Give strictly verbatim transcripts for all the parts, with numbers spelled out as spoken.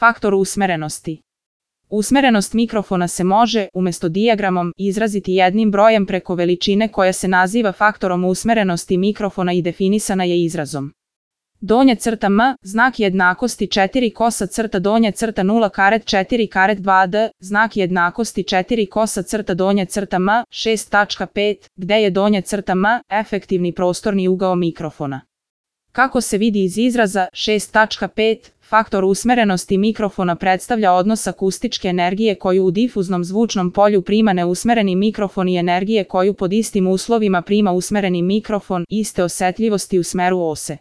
Faktor usmerenosti. Usmerenost mikrofona se može, umjesto dijagramom, izraziti jednim brojem preko veličine koja se naziva faktorom usmerenosti mikrofona i definisana je izrazom. Donja crta m, znak jednakosti četiri kosa crta donja crta nula karet četiri karet dva d, znak jednakosti četiri kosa crta donja crta m, šest tačka pet, gde je donja crta m, efektivni prostorni ugao mikrofona. Kako se vidi iz izraza šest tačka pet, faktor usmerenosti mikrofona predstavlja odnos akustičke energije koju u difuznom zvučnom polju prima neusmereni mikrofon i energije koju pod istim uslovima prima usmereni mikrofon iste osetljivosti u smeru ose.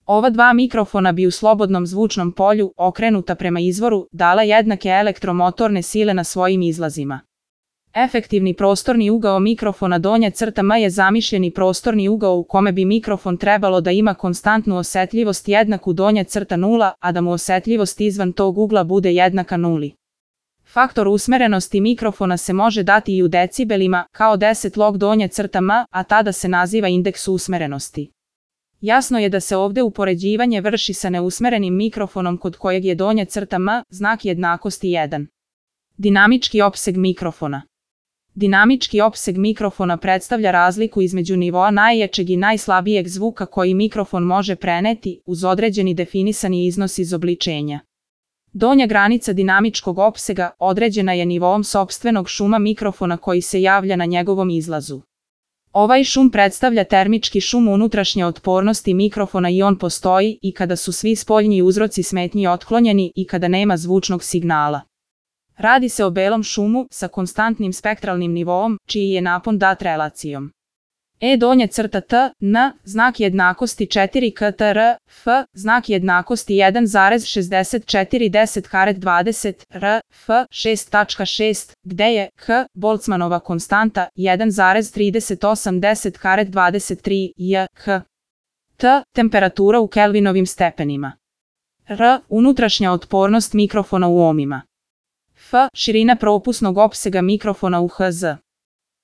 Ova dva mikrofona bi u slobodnom zvučnom polju, okrenuta prema izvoru, dala jednake elektromotorne sile na svojim izlazima. Efektivni prostorni ugao mikrofona donja crta m je zamišljeni prostorni ugao u kome bi mikrofon trebalo da ima konstantnu osetljivost jednaku donja crta nula, a da mu osetljivost izvan tog ugla bude jednaka nuli. Faktor usmerenosti mikrofona se može dati i u decibelima, kao deset log donja crta m, a tada se naziva indeks usmerenosti. Jasno je da se ovdje upoređivanje vrši sa neusmerenim mikrofonom kod kojeg je donja crta m, znak jednakosti jedan. Dinamički opseg mikrofona. Dinamički opseg mikrofona predstavlja razliku između nivoa najjačeg i najslabijeg zvuka koji mikrofon može preneti, uz određeni definisani iznos izobličenja. Donja granica dinamičkog opsega određena je nivoom sopstvenog šuma mikrofona koji se javlja na njegovom izlazu. Ovaj šum predstavlja termički šum unutrašnje otpornosti mikrofona i on postoji i kada su svi spoljni uzroci smetnji otklonjeni i kada nema zvučnog signala. Radi se o belom šumu sa konstantnim spektralnim nivoom, čiji je napon dat relacijom. E donja crta t, n, znak jednakosti četiri k t r, f, znak jednakosti jedan zarez šezdeset četiri deset karet dvadeset, r, f, šest tačka šest, gde je h, Boltzmannova konstanta, jedan zarez trideset osam deset karet dvadeset tri, j, h. T, temperatura u kelvinovim stepenima. R, unutrašnja otpornost mikrofona u ohmima. F, širina propusnog opsega mikrofona u hertz.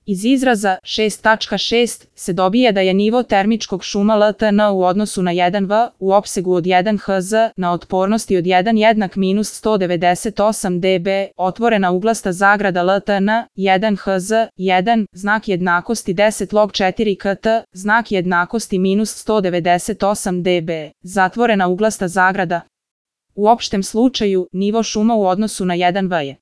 Iz izraza šest tačka šest se dobije da je nivo termičkog šuma L T N u odnosu na jedan V u opsegu od jedan hertz na otpornosti od jedan jednak minus sto devedeset osam decibela, otvorena uglasta zagrada L T N, jedan hertz, jedan, znak jednakosti deset log četiri k t, znak jednakosti minus sto devedeset osam decibela, zatvorena uglasta zagrada. U opštem slučaju, nivo šuma u odnosu na jedan V je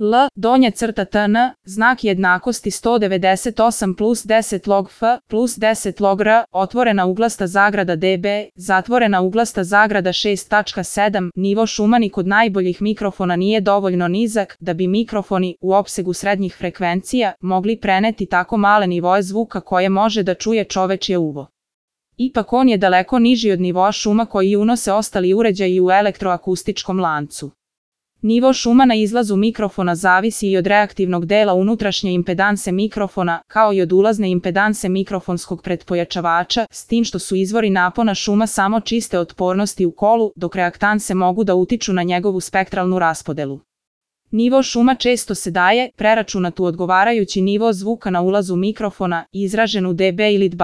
L, donja crta T N, znak jednakosti sto devedeset osam plus deset log F, plus deset log R, otvorena uglasta zagrada decibela, zatvorena uglasta zagrada šest tačka sedam, nivo šuma ni kod najboljih mikrofona nije dovoljno nizak da bi mikrofoni u opsegu srednjih frekvencija mogli preneti tako male nivoe zvuka koje može da čuje čovečje uvo. Ipak on je daleko niži od nivoa šuma koji unose ostali uređaji u elektroakustičkom lancu. Nivo šuma na izlazu mikrofona zavisi i od reaktivnog dela unutrašnje impedanse mikrofona, kao i od ulazne impedanse mikrofonskog pretpojačavača, s tim što su izvori napona šuma samo čiste otpornosti u kolu, dok reaktanse mogu da utiču na njegovu spektralnu raspodelu. Nivo šuma često se daje, preračunat u odgovarajući nivo zvuka na ulazu mikrofona, izražen u decibel ili dB.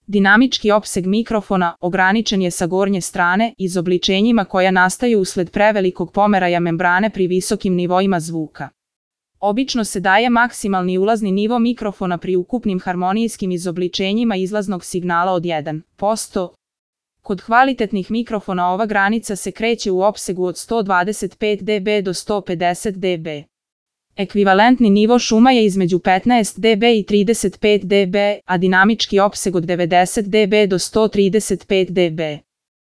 Dinamički opseg mikrofona ograničen je sa gornje strane izobličenjima koja nastaju usled prevelikog pomeraja membrane pri visokim nivoima zvuka. Obično se daje maksimalni ulazni nivo mikrofona pri ukupnim harmonijskim izobličenjima izlaznog signala od jedan posto. Kod kvalitetnih mikrofona ova granica se kreće u opsegu od sto dvadeset pet decibela do sto pedeset decibela. Ekvivalentni nivo šuma je između petnaest decibela i trideset pet decibela, a dinamički opseg od devedeset decibela do sto trideset pet decibela.